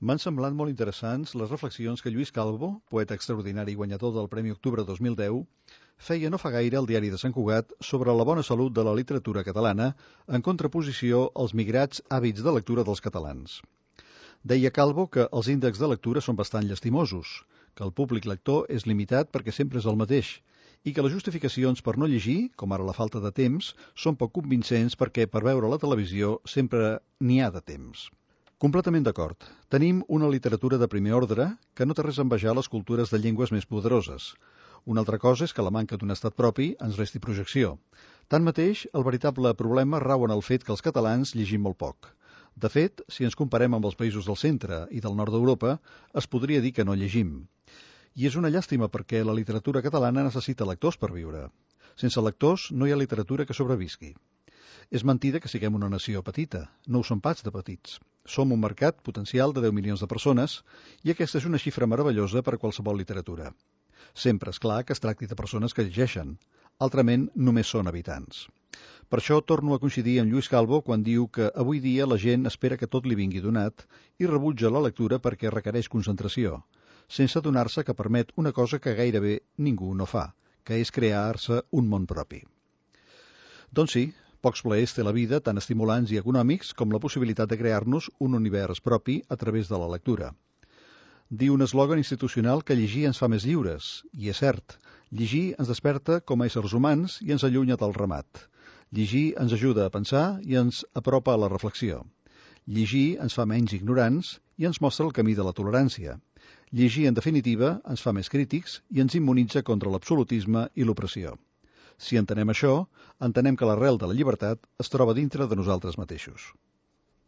M'han semblat molt interessants les reflexions que Lluís Calvo, poeta extraordinari i guanyador del Premi Octubre 2010, feia no fa gaire al diari de Sant Cugat sobre la bona salut de la literatura catalana en contraposició als migrats hàbits de lectura dels catalans. Deia Calvo que els índexs de lectura són bastant llastimosos, que el públic lector és limitat perquè sempre és el mateix i que les justificacions per no llegir, com ara la falta de temps, són poc convincents perquè per veure la televisió sempre n'hi ha de temps. Completament d'acord. Tenim una literatura de primer ordre que no té res a envejar les cultures de llengües més poderoses. Una altra cosa és que la manca d'un estat propi ens resti projecció. Tanmateix, el veritable problema rau en el fet que els catalans llegim molt poc. De fet, si ens comparem amb els països del centre i del nord d'Europa, es podria dir que no llegim. I és una llàstima perquè la literatura catalana necessita lectors per viure. Sense lectors no hi ha literatura que sobrevisqui. És mentida que siguem una nació petita. No ho som pas de petits. Som un mercat potencial de 10 milions de persones i aquesta és una xifra meravellosa per a qualsevol literatura. Sempre és clar que es tracti de persones que llegeixen. Altrament, només són habitants. Per això torno a coincidir amb Lluís Calvo quan diu que avui dia la gent espera que tot li vingui donat i rebutja la lectura perquè requereix concentració, sense adonar-se que permet una cosa que gairebé ningú no fa, que és crear-se un món propi. Doncs sí, pocs plaers té la vida, tan estimulants i econòmics com la possibilitat de crear-nos un univers propi a través de la lectura. Diu un eslògan institucional que llegir ens fa més lliures, i és cert, llegir ens desperta com a éssers humans i ens allunya del ramat. Llegir ens ajuda a pensar i ens apropa a la reflexió. Llegir ens fa menys ignorants i ens mostra el camí de la tolerància. Llegir, en definitiva, ens fa més crítics i ens immunitza contra l'absolutisme i l'opressió. Si entenem això, entenem que l'arrel de la llibertat es troba dintre de nosaltres mateixos.